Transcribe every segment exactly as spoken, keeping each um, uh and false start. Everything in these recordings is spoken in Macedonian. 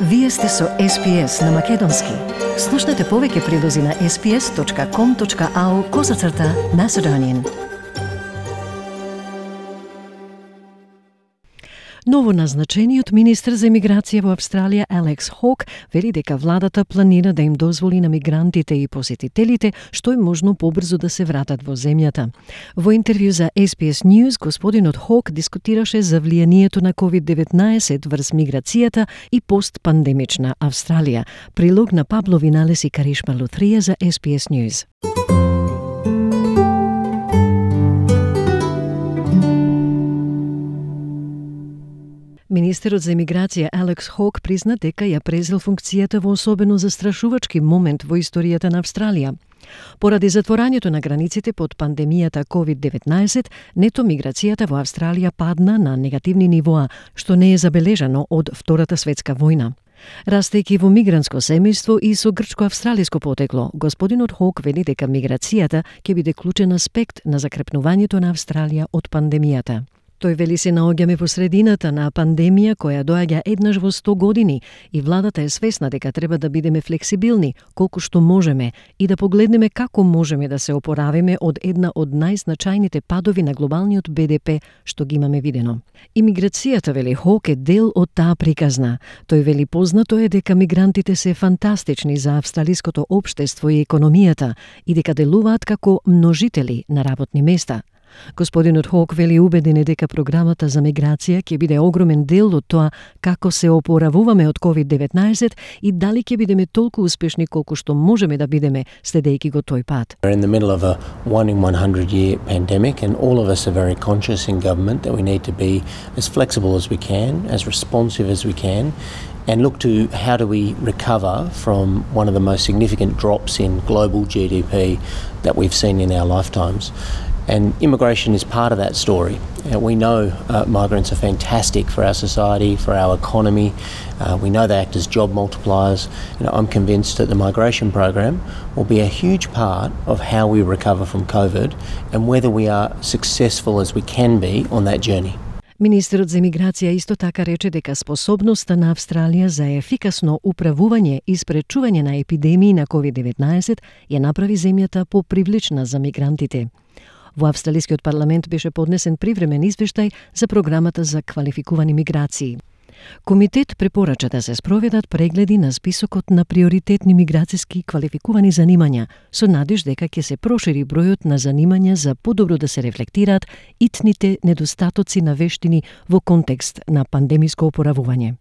Вие сте со Ес Би Ес на Македонски. Слушнете повеќе прилози на ес би ес точка ком точка ау козацрта Macedonian. Новоназначениот министер за емиграција во Австралија Алекс Хок вели дека владата планира да им дозволи на мигрантите и посетителите што е можно побрзо да се вратат во земјата. Во интервју за Ес Би Ес News, господинот Хок дискутираше за влијанието на ковид деветнаесет врз миграцијата и постпандемична Австралија. Прилог на Пабло Виналес и Каришма Лутрија за Ес Би Ес News. Министерот за емиграција Алекс Хок призна дека ја презел функцијата во особено застрашувачки момент во историјата на Австралија. Поради затворањето на границите под пандемијата ковид деветнаесет, нето миграцијата во Австралија падна на негативни нивоа, што не е забележано од Втората светска војна. Растејќи во мигрантско семејство и со грчко-австралиско потекло, господинот Хок вели дека миграцијата ќе биде клучен аспект на закрепнувањето на Австралија од пандемијата. Тој вели се наоѓаме во средината на пандемија која доаѓа еднаш во сто години и владата е свесна дека треба да бидеме флексибилни колку што можеме и да погледнеме како можеме да се опоравиме од една од најзначајните падови на глобалниот Б Д П што ги имаме видено. Имиграцијата, вели Хок, е дел од таа приказна. Тој вели познато е дека мигрантите се фантастични за австралиското општество и економијата и дека делуваат како множители на работни места. Господинот Хок вели убеден е дека програмата за миграција ќе биде огромен дел од тоа како се опоравуваме од ковид деветнаесет и дали ќе бидеме толку успешни колку што можеме да бидеме следејќи го тој пат. We're in the middle of a one in one hundred year pandemic and all of us are very conscious in government that we need to be as flexible as we can, as responsive as we can, and look to how do we recover from one of the most significant drops in global G D P that we've seen in our lifetimes. And immigration is part of that story. Uh, we know uh, migrants are fantastic for our society, for our economy. Uh, we know they act as job multipliers. You know, I'm convinced that the migration program will be a huge part of how we recover from COVID and whether we are successful as we can be on that journey. Министерот за емиграција исто така рече дека способноста на Австралија за ефикасно управување и спречување на епидемии на ковид деветнаесет ја направи земјата попривлична за мигрантите. Во Австралискиот парламент беше поднесен привремен извештај за програмата за квалификувани миграции. Комитет препорача да се спроведат прегледи на списокот на приоритетни миграцијски квалификувани занимања, со надеж дека ќе се прошири бројот на занимања за подобро да се рефлектираат итните недостатоци на вештини во контекст на пандемиско опоравување.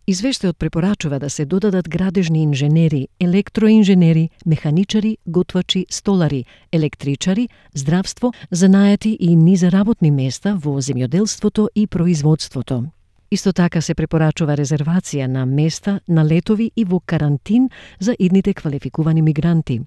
Извештајот препорачува да се додадат градежни инженери, електроинженери, механичари, готвачи, столари, електричари, здравство, занајати и низа работни места во земјоделството и производството. Исто така се препорачува резервација на места на летови и во карантин за идните квалификувани мигранти.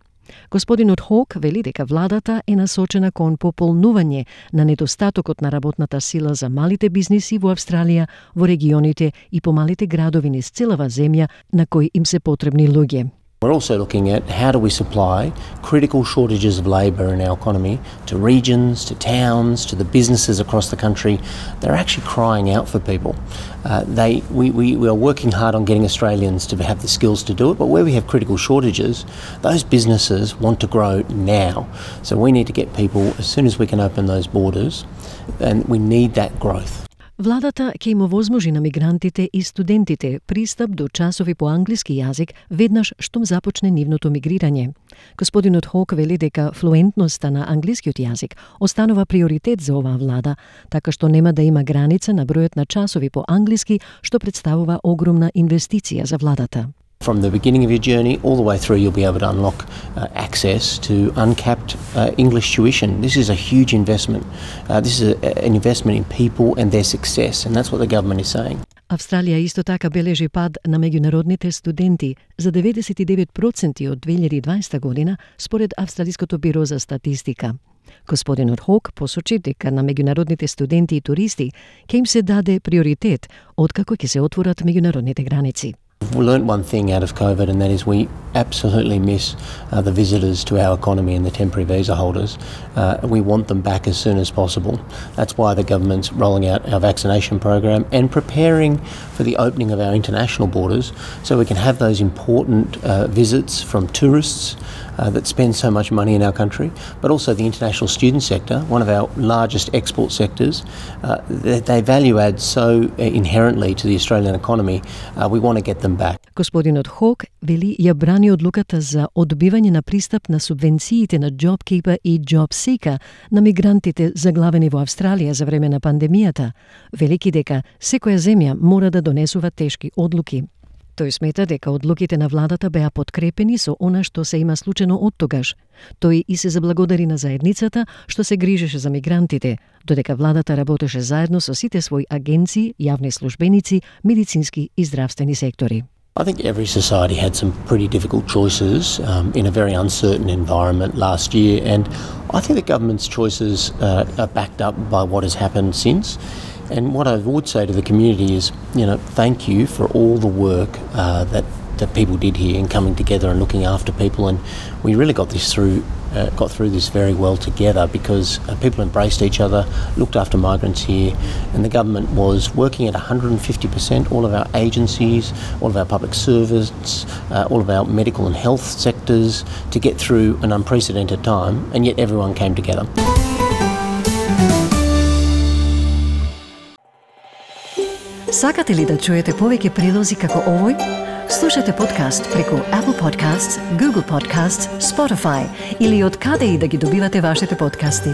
Господинот Хок вели дека владата е насочена кон пополнување на недостатокот на работната сила за малите бизниси во Австралија, во регионите и помалите градови низ целава земја на кои им се потребни луѓе. We're also looking at how do we supply critical shortages of labour in our economy to regions, to towns, to the businesses across the country. They're actually crying out for people. Uh, they, we, we, we are working hard on getting Australians to have the skills to do it, but where we have critical shortages, those businesses want to grow now. So we need to get people as soon as we can open those borders, and we need that growth. Владата ќе им овозможи на мигрантите и студентите пристап до часови по англиски јазик веднаш штом започне нивното мигрирање. Господинот Хок вели дека флуентноста на англискиот јазик останува приоритет за оваа влада, така што нема да има граница на бројот на часови по англиски, што представува огромна инвестиција за владата. From the beginning of your journey all the way through, you'll be able to unlock uh, access to uncapped uh, English tuition. This is a huge investment. Uh, this is a, an investment in people and their success, and that's what the government is saying. Австралија исто така бележи пад на меѓународните студенти за деветдесет и девет проценти од две илјади и дваесета година, според Австралиското биро за статистика. Господинот Хок посочи дека на меѓународните студенти и туристи ќе им се даде приоритет откако ќе се отворат меѓународните граници. We learned one thing out of COVID, and that is we absolutely miss uh, the visitors to our economy and the temporary visa holders. Uh, we want them back as soon as possible. That's why the government's rolling out our vaccination program and preparing for the opening of our international borders so we can have those important uh, visits from tourists uh, that spend so much money in our country, but also the international student sector, one of our largest export sectors. Uh, they, they value add so inherently to the Australian economy. Uh, we want to get them back. Господинот Хок вели ја брани одлуката за одбивање на пристап на субвенциите на JobKeeper и JobSeeker на мигрантите заглавени во Австралија за време на пандемијата, велики дека секоја земја мора да донесува тешки одлуки. Тој смета дека одлуките на владата беа подкрепени со она што се има случено оттогаш. Тој и се заблагодари на заедницата што се грижеше за мигрантите, додека владата работеше заедно со сите своји агенции, јавни службеници, медицински и здравствени сектори. I think every society had some pretty difficult choices um, in a very uncertain environment last year, and I think the government's choices uh, are backed up by what has happened since. And what I would say to the community is, you know, thank you for all the work uh, that that people did here in coming together and looking after people, and we really got this through, uh, got through this very well together because uh, people embraced each other, looked after migrants here, and the government was working at one hundred fifty percent. All of our agencies, all of our public servants, uh, all of our medical and health sectors to get through an unprecedented time, and yet everyone came together. Сакате ли да чуете повеќе прилози како овој? Слушате подкаст преку Apple Podcasts, Google Podcasts, Spotify или од каде и да ги добивате вашите подкасти.